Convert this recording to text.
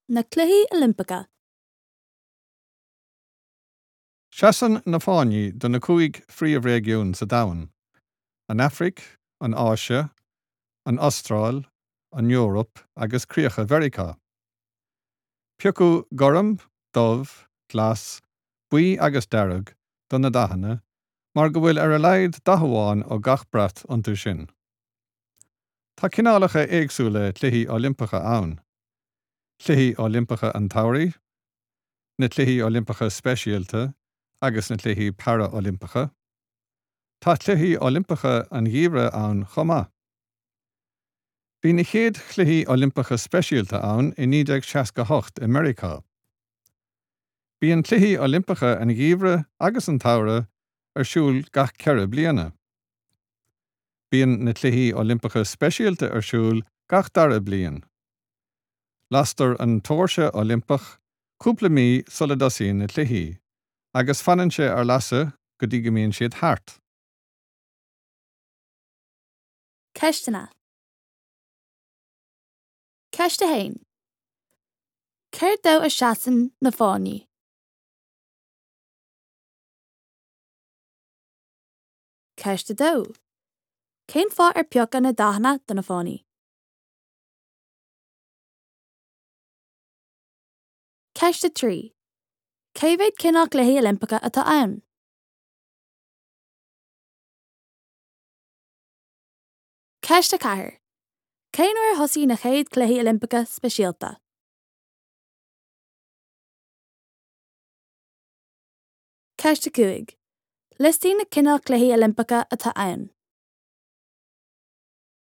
Na Cluichí Oilimpeacha. Seasann na fáinní do na 5 phríomhréigiún sa domhan, an Afraic, an Áise, an Astráil, an Eoraip agus críocha Mheiriceá. Piocadh gorm, dubh, glas, buí agus dearg do na dathanna mar go bhfuil ar a laghad dath amháin ó gach brat iontu sin. Tá cineálacha éagsúla Cluichí Oilimpeacha ann, Cluichí Oilimpeacha an tSamhraidh, na Cluichí Oilimpeacha Speisialta agus na Cluichí Para-Oilimpeacha. Tá Cluichí Oilimpeacha an Gheimhridh ann chomh maith. Bhí na chéad Chluichí Oilimpeacha Speisialta ann i 1968 i Meiriceá. Bíonn Cluichí Oilimpeacha an Gheimhridh agus an tSamhraidh ar siúl gach 4 bliana. Bíonn na Cluichí Oilimpeacha Speisialta ar siúl gach dara bliain. Lastar an tóirse Oilimpeach cúpla mí sula dtosaíonn na cluichí, agus fanann sé ar lasadh go dtí go mbíonn siad thart. Ceisteanna. Ceist 1. Céard dó a seasann na fáinní? Ceist 2. Cén fáth ar piocadh na dathanna do na fáinní? Ceist 3. Cé mhéad cineál Cluichí Oilimpeacha atá ann? Ceist 4. Cén uair a thosaigh na chéad Chluichí Oilimpeacha Speisialta? Ceist 5. Liostaigh na cineál Cluichí Oilimpeacha atá ann.